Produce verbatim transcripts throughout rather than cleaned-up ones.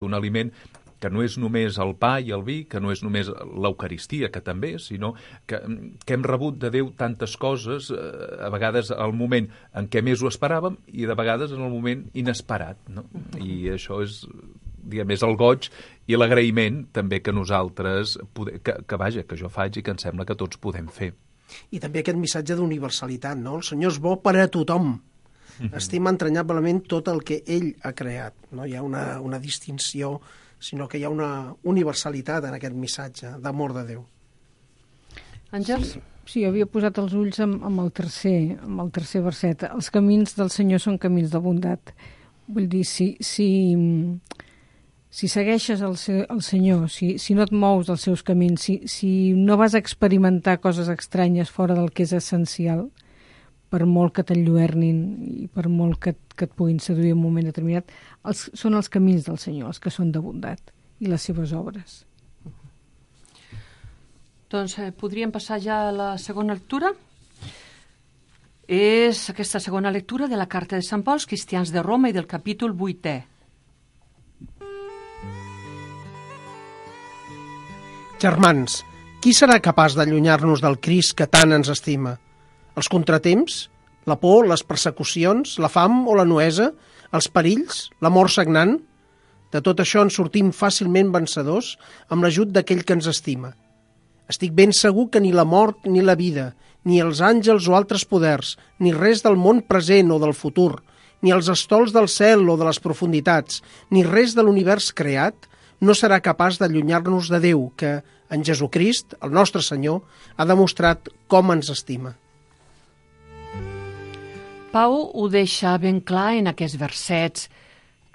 un aliment que no és només el pa i el vi, que no és només l'Eucaristia, que també, sinó que, que hem rebut de Déu tantes coses, eh, a vegades al moment en què més ho esperàvem i de vegades en el moment inesperat, no? I això és, diguem, és el goig i l'agraïment també que nosaltres, pode, que, que vaja, que jo faig i que em sembla que tots podem fer. I també aquest missatge d'universalitat, no? El Senyor és bo per a tothom. Mm-hmm. Estima entranyablement tot el que ell ha creat. No hi ha una, una distinció, sinó que hi ha una universalitat en aquest missatge d'amor de Déu. Àngels? Sí, sí, havia posat els ulls amb, amb, el tercer, amb el tercer verset. Els camins del Senyor són camins de bondat. Vull dir, si, si, si segueixes el, el Senyor, si, si no et mous dels seus camins, si, si no vas a experimentar coses estranyes fora del que és essencial, per molt que t'enlluernin i per molt que, que et puguin seduir en un moment determinat, els, són els camins del Senyor, els que són de bondat, i les seves obres. Doncs eh, podríem passar ja a la segona lectura. És aquesta segona lectura de la carta de Sant Pau als cristians de Roma i del capítol vuitè. Germans, qui serà capaç d'allunyar-nos del Crist que tant ens estima? Els contratemps, la por, les persecucions, la fam o la nuesa, els perills, la mort sagnant? De tot això en sortim fàcilment vencedors amb l'ajut d'aquell que ens estima. Estic ben segur que ni la mort ni la vida, ni els àngels o altres poders, ni res del món present o del futur, ni els estols del cel o de les profunditats, ni res de l'univers creat, no serà capaç d'allunyar-nos de Déu, que, en Jesucrist, el nostre Senyor, ha demostrat com ens estima. Pau ho deixa ben clar en aquests versets.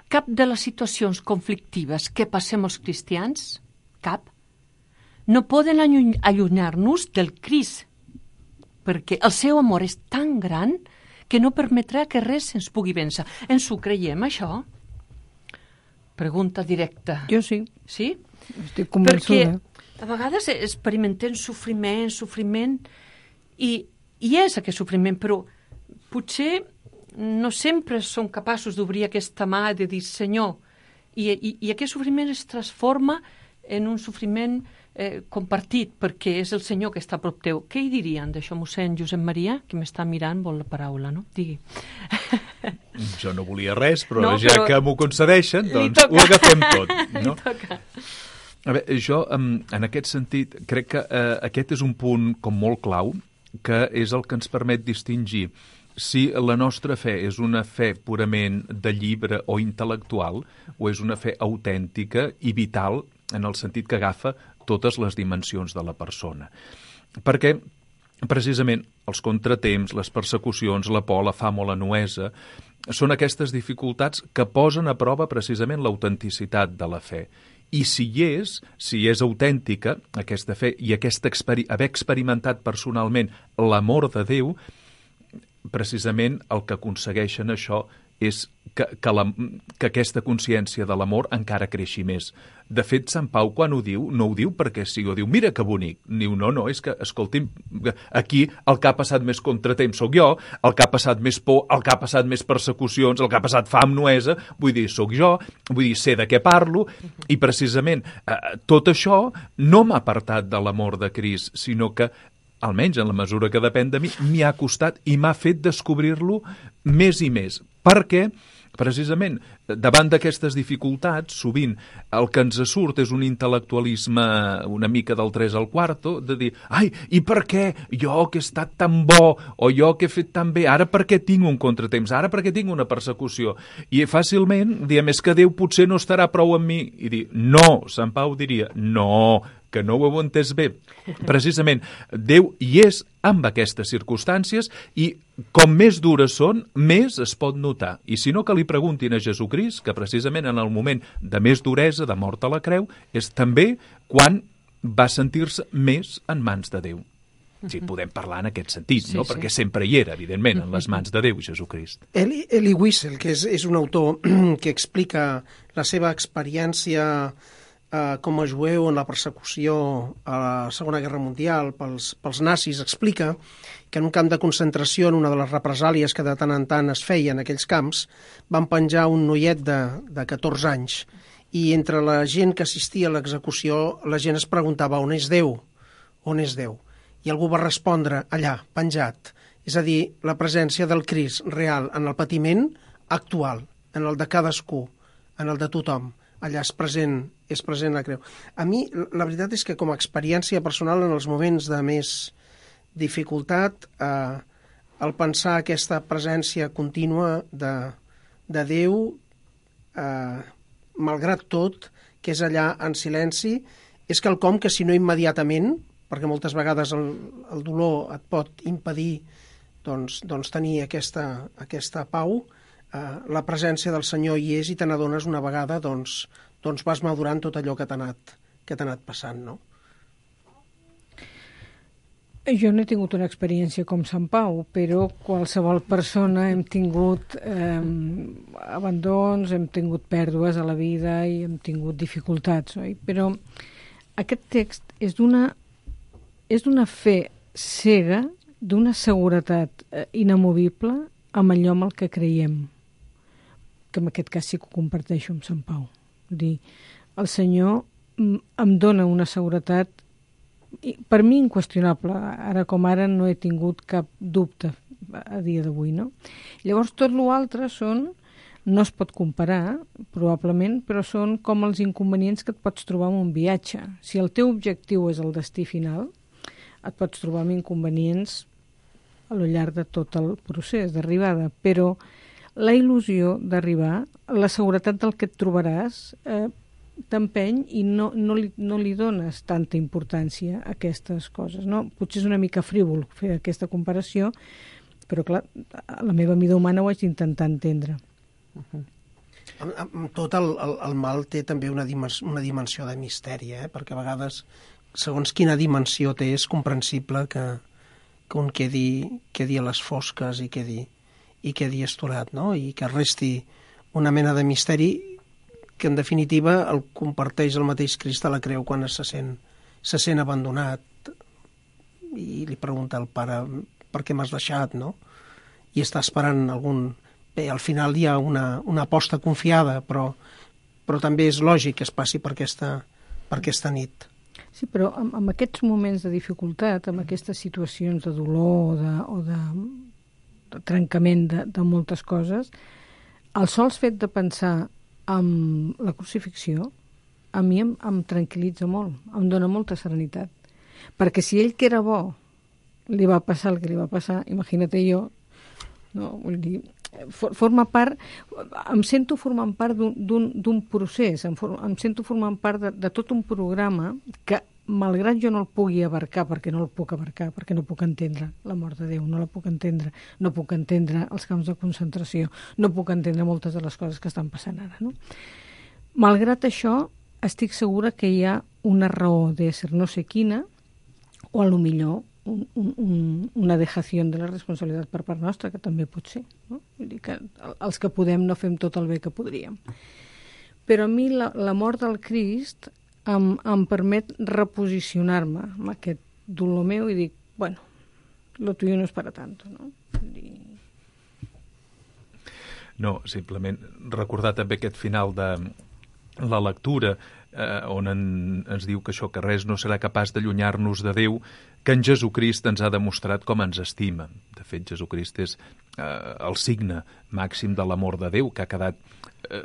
Cap de les situacions conflictives que passem els cristians, cap, no poden allunyar-nos del Crist, perquè el seu amor és tan gran que no permetrà que res ens pugui vèncer. Ens ho creiem, això? Pregunta directa. Jo sí. Sí? Estic convençuda. Perquè a vegades experimentem sofriment, sofriment, i, i és aquest sofriment, però potser no sempre som capaços d'obrir aquesta mà de dir Senyor, i, i, i aquest sofriment es transforma en un sofriment eh, compartit, perquè és el Senyor que està a prop teu. Què hi dirien d'això, mossèn Josep Maria, que m'està mirant, vol la paraula, no? Digui. Jo no volia res, però no, ja però que m'ho concedeixen, doncs ho agafem tot. No? A veure, jo, en aquest sentit, crec que eh, aquest és un punt com molt clau, que és el que ens permet distingir si la nostra fe és una fe purament de llibre o intel·lectual o és una fe autèntica i vital en el sentit que agafa totes les dimensions de la persona. Perquè, precisament, els contratemps, les persecucions, la por, la fam o la nuesa, són aquestes dificultats que posen a prova precisament l'autenticitat de la fe. I si hi és, si és autèntica aquesta fe i aquesta experi- haver experimentat personalment l'amor de Déu, precisament el que aconsegueixen això és que, que, la, que aquesta consciència de l'amor encara creixi més. De fet, Sant Pau, quan ho diu, no ho diu perquè sí, ho diu, mira que bonic. Diu, no, no, és que, escolti'm, aquí el que ha passat més contratemps sóc jo, el que ha passat més por, el que ha passat més persecucions, el que ha passat fam, nuesa, vull dir, sóc jo, vull dir, sé de què parlo, i precisament eh, tot això no m'ha apartat de l'amor de Crist, sinó que almenys en la mesura que depèn de mi, m'hi ha costat i m'ha fet descobrir-lo més i més. Perquè, precisament, davant d'aquestes dificultats, sovint el que ens surt és un intel·lectualisme una mica del tres al quarto, de dir, ai, i per què jo que he estat tan bo, o jo que he fet tan bé, ara per què tinc un contratemps, ara per què tinc una persecució? I fàcilment diem, és que Déu potser no estarà prou amb mi. I dir, no, Sant Pau diria, no, que no ho heu entès bé. Precisament, Déu hi és amb aquestes circumstàncies i com més dures són, més es pot notar. I si no, que li preguntin a Jesucrist, que precisament en el moment de més duresa, de mort a la creu, és també quan va sentir-se més en mans de Déu. Sí, podem parlar en aquest sentit, sí, no? Sí. Perquè sempre hi era, evidentment, en les mans de Déu, Jesucrist. Eli, Eli Wiesel, que és, és un autor que explica la seva experiència eh, com a jueu en la persecució a la Segona Guerra Mundial pels, pels nazis, explica que en un camp de concentració, en una de les represàlies que de tant en tant es feia en aquells camps, van penjar un noiet de, de catorze anys i entre la gent que assistia a l'execució, la gent es preguntava on és Déu, on és Déu? I algú va respondre allà, penjat. És a dir, la presència del Crist real en el patiment actual, en el de cadascú, en el de tothom. Allà és present, és present la creu. A mi, la veritat és que com a experiència personal en els moments de més dificultat, eh, el pensar aquesta presència contínua de, de Déu, eh, malgrat tot, que és allà en silenci, és quelcom que si no immediatament, perquè moltes vegades el, el dolor et pot impedir doncs, doncs tenir aquesta, aquesta pau, eh, la presència del Senyor hi és i te n'adones una vegada, doncs, doncs vas madurant tot allò que t'ha anat, que t'ha anat passant, no? Jo no he tingut una experiència com Sant Pau, però qualsevol persona hem tingut eh, abandons, hem tingut pèrdues a la vida i hem tingut dificultats, oi? Però aquest text és d'una és d'una fe cega, d'una seguretat eh, inamovible amb allò amb el que creiem, que en aquest cas sí que ho comparteixo amb Sant Pau. Vull dir, el Senyor em dona una seguretat per mi inqüestionable, ara com ara no he tingut cap dubte a dia d'avui, no? Llavors tot l'altre són, no es pot comparar probablement, però són com els inconvenients que et pots trobar en un viatge. Si el teu objectiu és el destí final, et pots trobar amb inconvenients a lo llarg de tot el procés d'arribada, però la il·lusió d'arribar, la seguretat del que et trobaràs, eh, t'empeny i no, no, li, no li dones tanta importància a aquestes coses, no? Potser és una mica frívol fer aquesta comparació, però clar, a la meva mida humana ho haig d'intentar entendre. Uh-huh. Amb, amb tot el, el, el mal té també una, dimens, una dimensió de misteri, eh? Perquè a vegades, segons quina dimensió té, és comprensible que, que un quedi, quedi a les fosques i quedi, i quedi estorat, no? I que resti una mena de misteri que en definitiva el comparteix el mateix Crist a la creu quan se sent, se sent abandonat i li pregunta al pare per què m'has deixat, no? I està esperant algun... Bé, al final hi ha una, una aposta confiada, però, però també és lògic que es passi per aquesta, per aquesta nit. Sí, però en, en aquests moments de dificultat, en aquestes situacions de dolor o de, o de, de trencament de, de moltes coses, el sols fet de pensar amb la crucifixió, a mi em, em tranquil·litza molt, em dona molta serenitat. Perquè si ell, que era bo, li va passar el que li va passar, imagina't jo, no? Vull dir, for, forma part, em sento formant part d'un procés, em, for, em sento formant part de, de tot un programa que, malgrat jo no el pugui abarcar, perquè no el puc abarcar, perquè no puc entendre la mort de Déu, no la puc entendre, no puc entendre els camps de concentració, no puc entendre moltes de les coses que estan passant ara, no? Malgrat això, estic segura que hi ha una raó d'ésser no sé quina, o a lo millor un, un, una dejació de la responsabilitat per part nostra, que també pot ser, no? Vull dir que els que podem no fem tot el bé que podríem. Però a mi la, la mort del Crist Em, em permet reposicionar-me amb aquest dolor meu i dic, bueno, lo tuyo no es para tanto, no? I... No, simplement recordar també aquest final de la lectura eh, on en, ens diu que això, que res no serà capaç d'allunyar-nos de Déu, que en Jesucrist ens ha demostrat com ens estima. De fet, Jesucrist és eh, el signe màxim de l'amor de Déu, que ha quedat eh,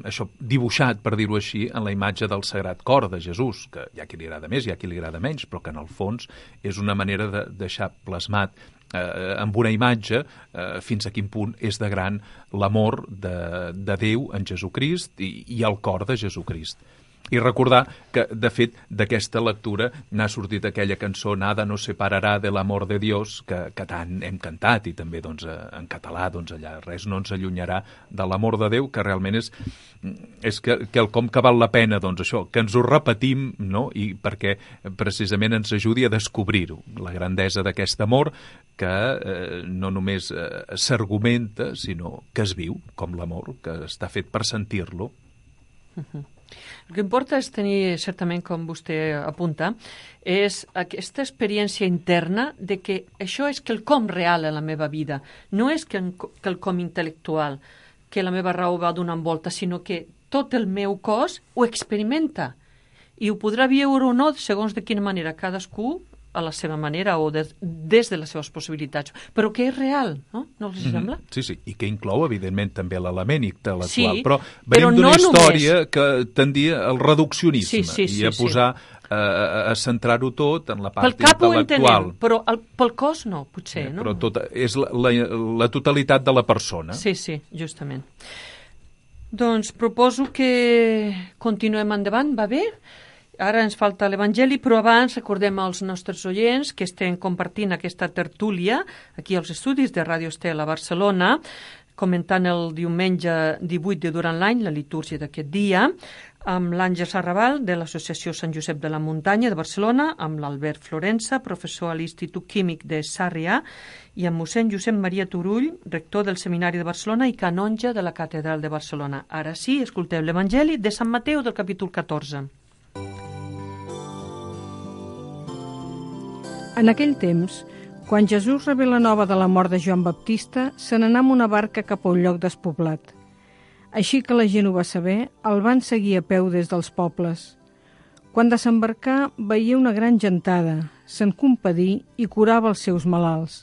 això dibuixat, per dir-ho així, en la imatge del Sagrat Cor de Jesús, que hi ha qui li agrada més, hi ha qui li agrada menys, però que en el fons és una manera de deixar plasmat eh, amb una imatge eh, fins a quin punt és de gran l'amor de, de Déu en Jesucrist i, i el cor de Jesucrist. I recordar que, de fet, d'aquesta lectura n'ha sortit aquella cançó Nada nos separarà de l'amor de Dios, que, que tant hem cantat, i també doncs, en català, doncs, allà, res no ens allunyarà de l'amor de Déu, que realment és, és que, quelcom que val la pena, doncs això, que ens ho repetim, no?, i perquè precisament ens ajudi a descobrir-ho, la grandesa d'aquest amor que eh, no només eh, s'argumenta, sinó que es viu com l'amor, que està fet per sentir-lo. Uh-huh. El que importa és tenir, certament, com vostè apunta, és aquesta experiència interna de que això és quelcom real en la meva vida. No és quelcom intel·lectual, que la meva raó va donant volta, sinó que tot el meu cos ho experimenta. I ho podrà viure o no segons de quina manera, cadascú a la seva manera o de, des de les seves possibilitats, però que és real, no? No els sembla? Mm-hmm. Sí, sí, i que inclou, evidentment, també l'element intel·lectual, sí, però venim d'una no història només. que tendia al reduccionisme sí, sí, sí, i a posar, sí. a, a centrar-ho tot en la part pel cap intel·lectual. Ho entenem, però el, pel cos no, potser, eh, no? Però tot, és la, la, la totalitat de la persona. Sí, sí, justament. Doncs proposo que continuem endavant, va bé? Ara ens falta l'Evangeli, però abans recordem als nostres oients que estem compartint aquesta tertúlia aquí als estudis de Ràdio Estel a Barcelona, comentant el diumenge divuit de durant l'any, la litúrgia d'aquest dia, amb l'Àngels Arrabal de l'Associació Sant Josep de la Muntanya de Barcelona, amb l'Albert Florença, professor a l'Institut Químic de Sarrià, i amb mossèn Josep Maria Turull, rector del Seminari de Barcelona i canonge de la Catedral de Barcelona. Ara sí, escolteu l'Evangeli de Sant Mateu del capítol catorze. En aquell temps, quan Jesús rebé la nova de la mort de Joan Baptista, se n'anà amb una barca cap a un lloc despoblat. Així que la gent ho va saber, el van seguir a peu des dels pobles. Quan desembarcà, veia una gran gentada, se'n compadí i curava els seus malalts.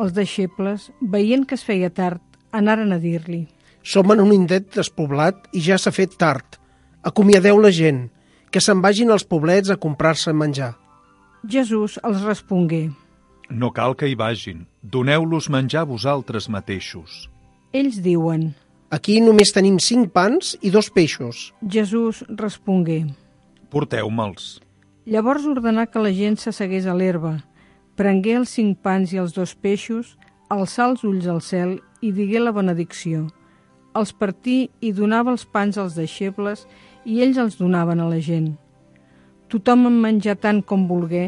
Els deixebles, veient que es feia tard, anaren a dir-li: Som en un indret despoblat i ja s'ha fet tard. Acomiadeu la gent, que se'n vagin als poblets a comprar-se menjar. Jesús els respongué: No cal que hi vagin, doneu-los menjar vosaltres mateixos. Ells diuen: Aquí només tenim cinc pans i dos peixos. Jesús respongué: Porteu-me'ls. Llavors ordenà que la gent s'assegués a l'herba, prengué els cinc pans i els dos peixos, alçà els ulls al cel i digué la benedicció. Els partí i donava els pans als deixebles i ells els donaven a la gent. Tothom en menjà tant com volgué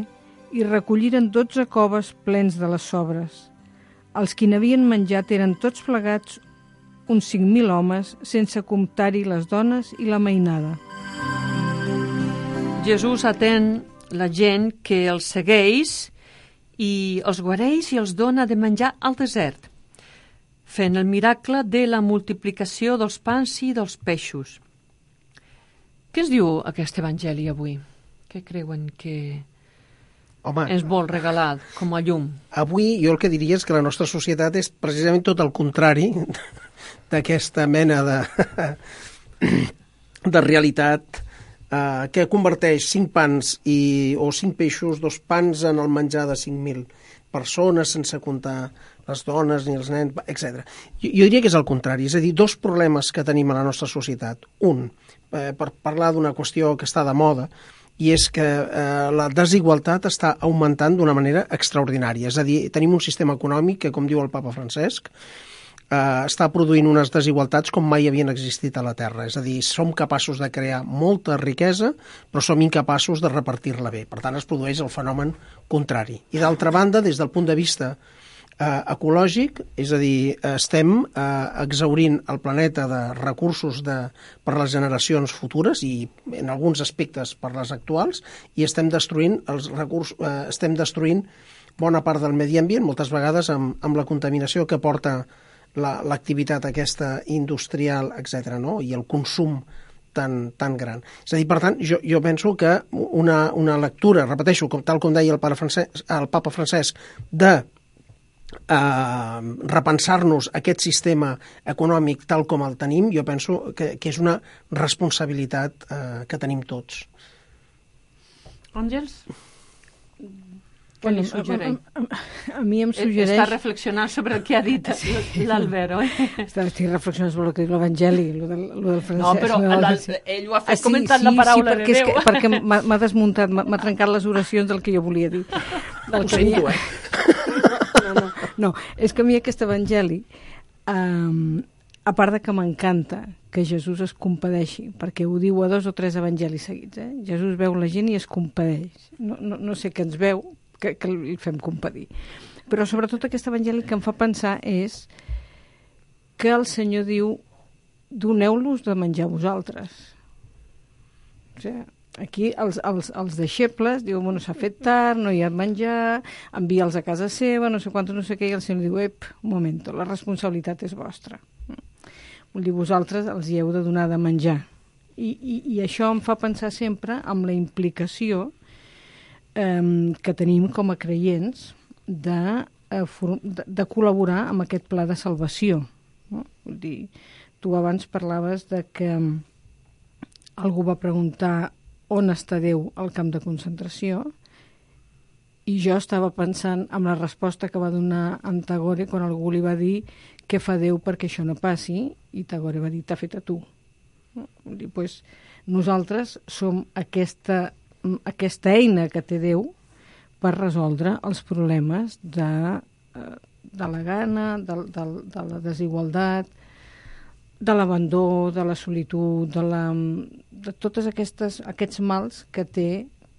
i recolliren dotze coves plens de les sobres. Els qui n'havien menjat eren tots plegats uns cinc mil homes, sense comptar-hi les dones i la mainada. Jesús atén la gent que els segueix i els guareix i els dona de menjar al desert, fent el miracle de la multiplicació dels pans i dels peixos. Què ens diu aquest evangeli avui? Què creuen que Home, ens vol regalar com a llum? Avui jo el que diria és que la nostra societat és precisament tot el contrari d'aquesta mena de, de realitat eh, que converteix cinc pans i, o cinc peixos, dos pans en el menjar de cinc mil persones, sense comptar les dones ni els nens, etcètera. Jo, jo diria que és el contrari, és a dir, dos problemes que tenim a la nostra societat. Un, eh, per parlar d'una qüestió que està de moda, i és que eh, la desigualtat està augmentant d'una manera extraordinària. És a dir, tenim un sistema econòmic que, com diu el papa Francesc, eh, està produint unes desigualtats com mai havien existit a la Terra. És a dir, som capaços de crear molta riquesa, però som incapaços de repartir-la bé. Per tant, es produeix el fenomen contrari. I d'altra banda, des del punt de vista eh, ecològic, és a dir, estem eh, exhaurint el planeta de recursos de, per les generacions futures i en alguns aspectes per les actuals, i estem destruint els recursos, eh, estem destruint bona part del medi ambient, moltes vegades amb, amb la contaminació que porta l'activitat la, aquesta industrial, etcètera, no? I el consum tan, tan gran. És a dir, per tant, jo, jo penso que una, una lectura, repeteixo, com, tal com deia el, pare Francesc, el papa Francesc, de Uh, repensar-nos aquest sistema econòmic tal com el tenim, jo penso que, que és una responsabilitat uh, que tenim tots. Àngels? Què li suggereix? A, a, a, a mi em suggereix... Està reflexionant sobre el que ha dit l'Albert, oi? Estic reflexionant sobre el que diu l'Evangeli, el del, del Francesc. No, però el, ell ho ha fet ah, sí, comentant sí, la paraula sí, de Déu. Sí, perquè m'ha desmuntat, m'ha trencat les oracions del que jo volia dir. Del ho sento, eh? No, no, no, és que a mi aquest evangeli, um, a part de que m'encanta que Jesús es compadeixi, perquè ho diu a dos o tres evangelis seguits, eh? Jesús veu la gent i es compadeix. No, no, no sé què ens veu, que, que el fem compadir. Però sobretot aquest evangeli que em fa pensar és que el Senyor diu: doneu-los de menjar vosaltres. O sigui, aquí els, els, els deixebles diuen, bueno, s'ha fet tard, no hi ha menjar, envia'ls a casa seva, no sé quant, no sé què, i el Senyor diu, ep, un moment, la responsabilitat és vostra. Vull dir, vosaltres els hi heu de donar de menjar. I, i, i això em fa pensar sempre en la implicació eh, que tenim com a creients de, eh, for, de, de col·laborar amb aquest pla de salvació. No? Vull dir, tu abans parlaves de que algú va preguntar on està Déu al camp de concentració, i jo estava pensant en la resposta que va donar en Tagore quan algú li va dir què fa Déu perquè això no passi, i Tagore va dir t'ha fet a tu. No? Vull dir, pues, nosaltres som aquesta, aquesta eina que té Déu per resoldre els problemes de, de la gana, de, de, de la desigualtat, de l'abandó, de la solitud, de, la, de totes aquestes, aquests mals que té,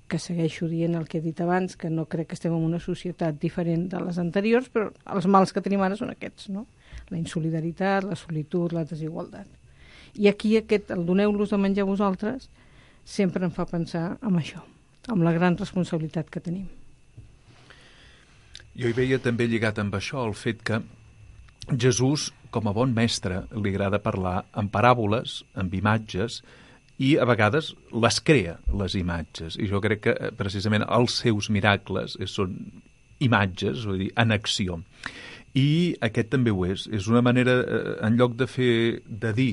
que segueixo dient el que he dit abans, que no crec que estem en una societat diferent de les anteriors, però els mals que tenim ara són aquests, no? La insolidaritat, la solitud, la desigualtat. I aquí aquest, el doneu-los de menjar a vosaltres, sempre em fa pensar en això, amb la gran responsabilitat que tenim. Jo hi veia també lligat amb això el fet que Jesús, com a bon mestre, li agrada parlar en paràboles, amb imatges, i a vegades les crea, les imatges. I jo crec que precisament els seus miracles són imatges, vull dir, en acció. I aquest també ho és. És una manera, en lloc de fer, de dir,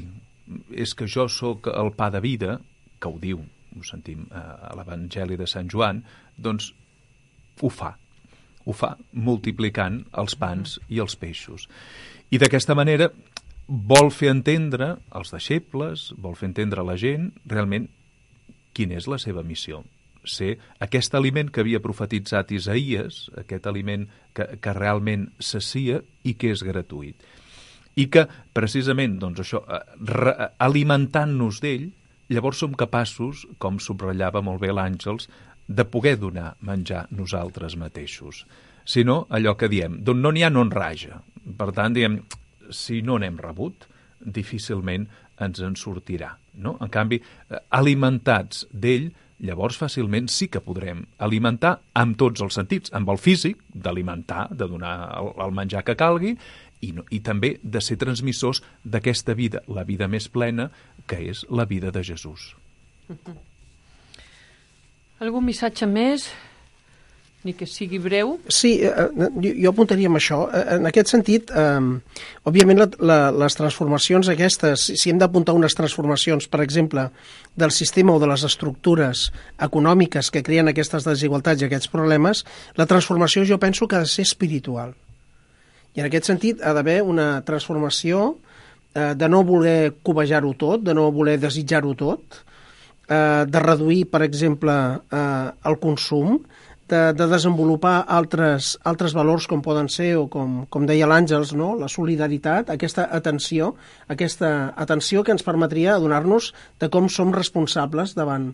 és que jo sóc el pa de vida, que ho diu, ho sentim a l'Evangeli de Sant Joan, doncs ho fa. Ho fa multiplicant els pans i els peixos. I d'aquesta manera vol fer entendre als deixebles, vol fer entendre a la gent realment quina és la seva missió. Ser aquest aliment que havia profetitzat Isaïes, aquest aliment que, que realment sacia i que és gratuït. I que, precisament, doncs això, alimentant-nos d'ell, llavors som capaços, com subratllava molt bé l'Àngels, de poder donar menjar nosaltres mateixos. Si no, allò que diem, d'on no n'hi ha no en raja. Per tant, diem, si no n'hem rebut, difícilment ens en sortirà. No? En canvi, alimentats d'ell, llavors fàcilment sí que podrem alimentar amb tots els sentits, amb el físic, d'alimentar, de donar el, el menjar que calgui, i, no, i també de ser transmissors d'aquesta vida, la vida més plena, que és la vida de Jesús. Uh-huh. Algun missatge més? Ni que sigui breu? Sí, eh, jo, jo apuntaria amb això. En aquest sentit, eh, òbviament la, la, les transformacions aquestes, si hem d'apuntar unes transformacions, per exemple, del sistema o de les estructures econòmiques que creen aquestes desigualtats i aquests problemes, la transformació jo penso que ha de ser espiritual. I en aquest sentit ha d'haver una transformació eh, de no voler cobejar-ho tot, de no voler desitjar-ho tot, eh, de reduir, per exemple, eh, el consum, de, de desenvolupar altres, altres valors com poden ser, o com, com deia l'Àngels, no? La solidaritat, aquesta atenció, aquesta atenció que ens permetria adonar-nos de com som responsables davant,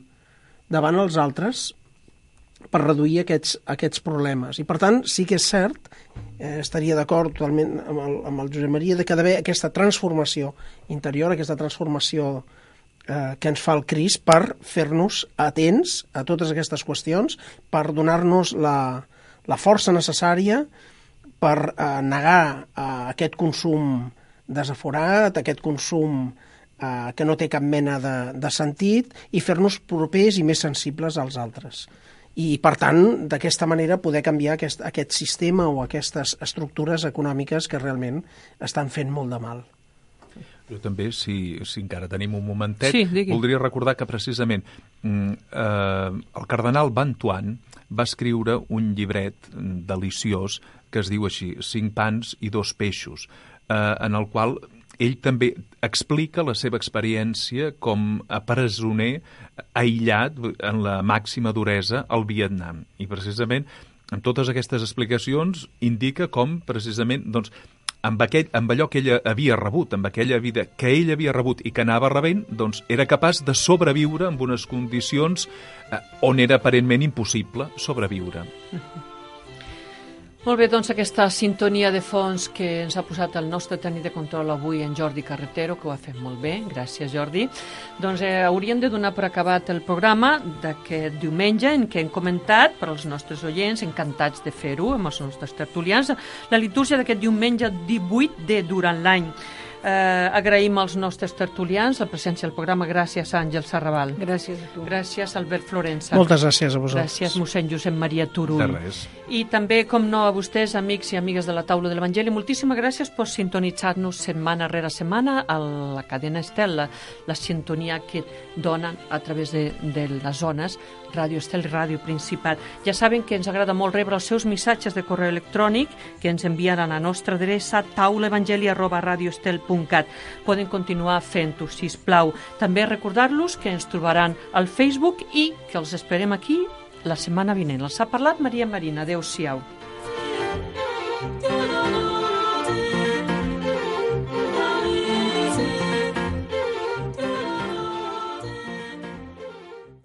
davant els altres per reduir aquests, aquests problemes. I per tant, sí que és cert, eh, estaria d'acord totalment amb el, amb el Josep Maria, de que ha d'haver aquesta transformació interior, aquesta transformació que ens fa el Crist per fer-nos atents a totes aquestes qüestions, per donar-nos la, la força necessària per eh, negar eh, aquest consum desaforat, aquest consum eh, que no té cap mena de, de sentit, i fer-nos propers i més sensibles als altres. I, per tant, d'aquesta manera poder canviar aquest, aquest sistema o aquestes estructures econòmiques que realment estan fent molt de mal. Jo també, si, si encara tenim un momentet, sí, voldria recordar que precisament eh, el cardenal Bantuan va escriure un llibret deliciós que es diu així, Cinc pans i dos peixos, eh, en el qual ell també explica la seva experiència com a presoner aïllat en la màxima duresa al Vietnam. I precisament, amb totes aquestes explicacions, indica com precisament, doncs, amb, aquell, amb allò que ella havia rebut, amb aquella vida que ell havia rebut i que anava rebent, doncs era capaç de sobreviure en unes condicions eh, on era aparentment impossible sobreviure. Uh-huh. Molt bé, doncs aquesta sintonia de fons que ens ha posat el nostre tècnic de control avui, en Jordi Carretero, que ho ha fet molt bé, gràcies Jordi. Doncs eh, hauríem de donar per acabat el programa d'aquest diumenge en què hem comentat per als nostres oients, encantats de fer-ho amb els nostres tertulians, la litúrgia d'aquest diumenge divuit de durant l'any. Eh, agraïm als nostres tertulians la presència al programa. Gràcies, Àngel Sarrabal. Gràcies a tu. Gràcies, Albert Florença. Moltes gràcies a vosaltres. Gràcies, mossèn Josep Maria Turull. De res. I també, com no, a vostès, amics i amigues de la Taula de l'Evangeli, moltíssimes gràcies per sintonitzar-nos setmana rere setmana a la cadena Estel, la, la sintonia que donen a través de, de les zones Ràdio Estel i Ràdio Principat. Ja saben que ens agrada molt rebre els seus missatges de correu electrònic que ens envien a la nostra adreça taulaevangeli arroba radioestel punt cat. Poden continuar fent-ho, sisplau. També recordar-los que ens trobaran al Facebook i que els esperem aquí la setmana vinent. Els ha parlat Maria Marina. Adéu-siau.